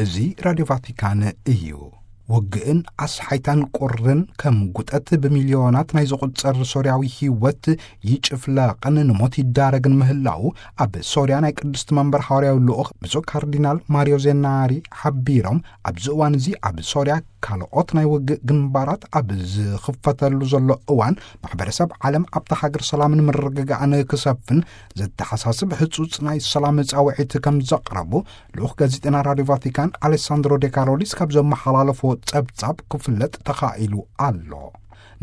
እዚ ራድዮ ቫቲካን እዩ። ውግእን ኣስሓይታን ቁርን ከም ጉጠት ብሚልዮናት ናይ ዝቑጸር ሶርያዊ ህይወት ይጭፍለቕን ንሞት ይዳረግን ምህላው ኣብ ሶርያ ናይ ቅድስቲ መንበር ሃዋርያዊ ልኡኽ ብፁዕ ካርዲናል ማሪዮ ዜናሪ ሓቢሮም፣ ኣብዚ እዋን እዚ ኣብ ሶርያ ካልኦት ናይ ውግእ ግንባራት ኣብ ዝኽፈተሉ ዘሎ እዋን፣ ማሕበረሰብ ዓለም ኣብታ ሃገር ሰላምን ምርግጋእን ክሰፍን ዘተሓሳስብ ህጹጽ ናይ ሰላም ጻውዒት ከም ዘቕረቡ ልኡኽ ጋዜጠና ራድዮ ቫቲካን ኣሌሳንድሮ ዴካሮሊስ ካብ ዘመሓላለፎ ጸብጻብ ክፍለጥ ተኻኢሉ ኣሎ።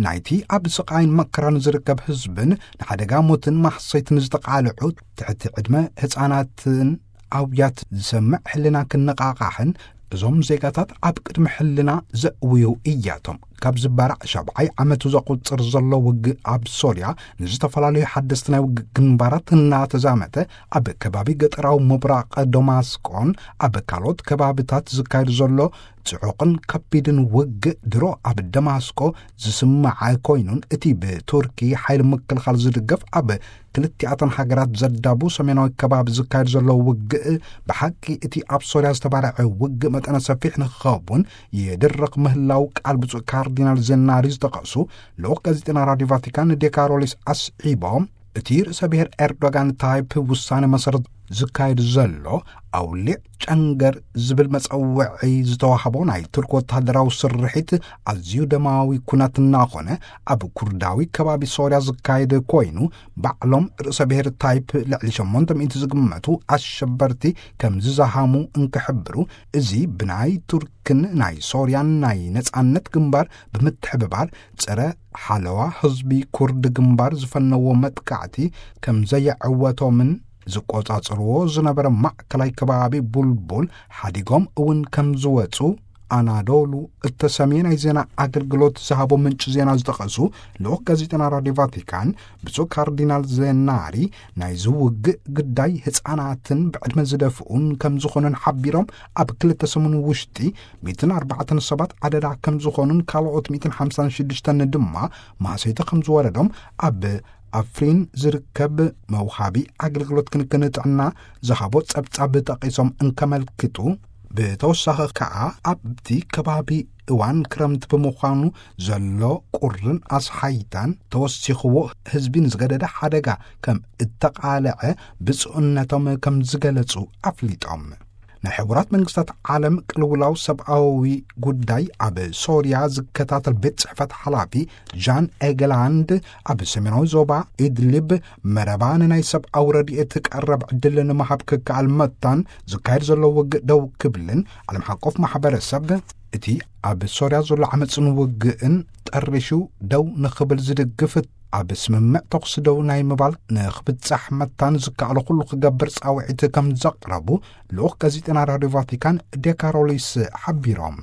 ናይቲ ኣብ ስቓይን መከራን ዝርከብ ህዝብን ንሓደጋ ሞትን ማህሰይትን ዝተቓልዑ ትሕቲ ዕድመ ህጻናትን ኣውያት ዝሰምዕ ሕልና ክነቓቓሕን፣ እዞም ዜጋታት ኣብ ቅድሚ ሕልና ዘእውዩ እያቶም። ካብ ዝበራዕ ሻብዓይ ዓመቱ ዘቑጽር ዘሎ ውግእ ኣብ ሶርያ ንዝተፈላለዩ ሓደስቲ ናይ ውግእ ግንባራት እናተዛመተ፣ ኣብ ከባቢ ገጠራዊ ምብራቕ ደማስቆን ኣብ ካልኦት ከባብታት ዝካየድ ዘሎ ጽዑቕን ከቢድን ውግእ ድሮ ኣብ ደማስቆ ዝስማዕ ኮይኑን፣ እቲ ብቱርኪ ሓይሊ ምክልኻል ዝድገፍ ኣብ ክልቲኣተን ሃገራት ዘዳቡ ሰሜናዊ ከባቢ ዝካየድ ዘሎ ውግእ፣ ብሓቂ እቲ ኣብ ሶርያ ዝተባርዐ ውግእ መጠነ ሰፊሕ ንክኸውን ይድርኽ ምህላው ቃል ብፁዕ ካርዲናል ዜናሪ ዝጠቐሱ ልኡኽ ጋዜጠና ራድዮ ቫቲካን ዴካሮሊስ ኣስዒቦም፣ እቲ ርእሰ ብሔር ኤርዶጋን ታይፕ ውሳኔ መሰረት ዝካየድ ዘሎ ኣውሊዕ ጨንገር ዝብል መጸውዒ ዝተዋህቦ ናይ ቱርክ ወተሃደራዊ ስርሒት ኣዝዩ ደማዊ ኩናት እናኾነ ኣብ ኩርዳዊ ከባቢ ሶርያ ዝካየድ ኮይኑ፣ ባዕሎም ርእሰ ብሔር ታይፕ ልዕሊ ሸሞንተ ሚእቲ ዝግመቱ ኣሸበርቲ ከም ዝዛሃሙ እንክሕብሩ፣ እዚ ብናይ ቱርክን ናይ ሶርያን ናይ ነጻነት ግንባር ብምትሕብባር ጸረ ሓለዋ ህዝቢ ኩርድ ግንባር ዝፈነዎ መጥቃዕቲ ከም ዘየዕወቶምን ዝቆጻጽርዎ ዝነበረ ማእከላይ ከባቢ ቡልቡል ሓዲጎም እውን ከም ዝወጹ ኣናዶሉ እተሰምየ ናይ ዜና ኣገልግሎት ዝሃቦ ምንጪ ዜና ዝጠቐሱ ልኡኽ ጋዜጠና ራድዮ ቫቲካን ብፁዕ ካርዲናል ዜናሪ፣ ናይዚ ውግእ ግዳይ ህጻናትን ብዕድመ ዝደፍኡን ከም ዝኾኑን ሓቢሮም፣ ኣብ ክልተ ሰሙን ውሽጢ ሚእትን ኣርባዕተን ሰባት ኣደዳ ከም ዝኾኑን ካልኦት ሚእትን ሓምሳን ሽዱሽተን ድማ ማህሰይቲ ከም ዝወረዶም ኣብ ኣፍሪን ዝርከብ መውሃቢ ኣገልግሎት ክንክን ጥዕና ዝሃቦ ጸብጻብ ጠቒሶም እንከመልክቱ፣ ብተወሳኺ ከኣ ኣብቲ ከባቢ እዋን ክረምቲ ብምዃኑ ዘሎ ቁርን ኣስሓይታን ተወሲኽዎ ህዝቢ ንዝገደደ ሓደጋ ከም እተቓልዐ ብፁዕነቶም ከም ዝገለጹ ኣፍሊጦም። ናይ ሕቡራት መንግስታት ዓለም ቅልውላው ሰብኣዊ ጉዳይ ኣብ ሶርያ ዝከታተል ቤት ጽሕፈት ሓላፊ ጃን ኤገላንድ፣ ኣብ ሰሜናዊ ዞባ ኢድሊብ መረባ ንናይ ሰብኣዊ ረድኤት ቀረብ ዕድል ንምሃብ ክከኣል መታን ዝካየድ ዘሎ ውግእ ደው ክብልን፣ ዓለም ሓቆፍ ማሕበረሰብ እቲ ኣብ ሶርያ ዘሎ ዓመፅን ውግእን ጠሪሹ ደው ንኽብል ዝድግፍ፣ ኣብ ስምምዕ ተኹሲ ደው ናይ ምባል ንኽብጻሕ መታን ዝከኣሎ ኩሉ ክገብር ጻውዒት ከም ዘቕረቡ ልኡኽ ጋዜጠና ራድዮ ቫቲካን ዴካሮሊስ ሓቢሮም።